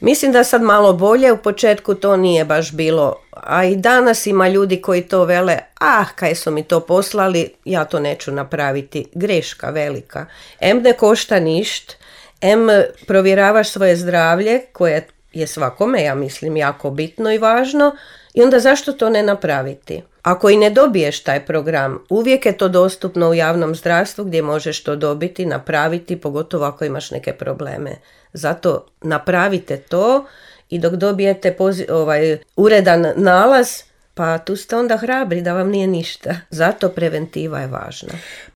Mislim da sad malo bolje, u početku to nije baš bilo, a i danas ima ljudi koji to vele, kaj su mi to poslali, ja to neću napraviti. Greška velika. Ne košta ništa, provjeravaš svoje zdravlje, koje je svakome, ja mislim, jako bitno i važno, i onda zašto to ne napraviti? Ako i ne dobiješ taj program, uvijek je to dostupno u javnom zdravstvu gdje možeš to dobiti, napraviti, pogotovo ako imaš neke probleme. Zato napravite to i dok dobijete uredan nalaz, pa tu ste onda hrabri da vam nije ništa. Zato preventiva je važna.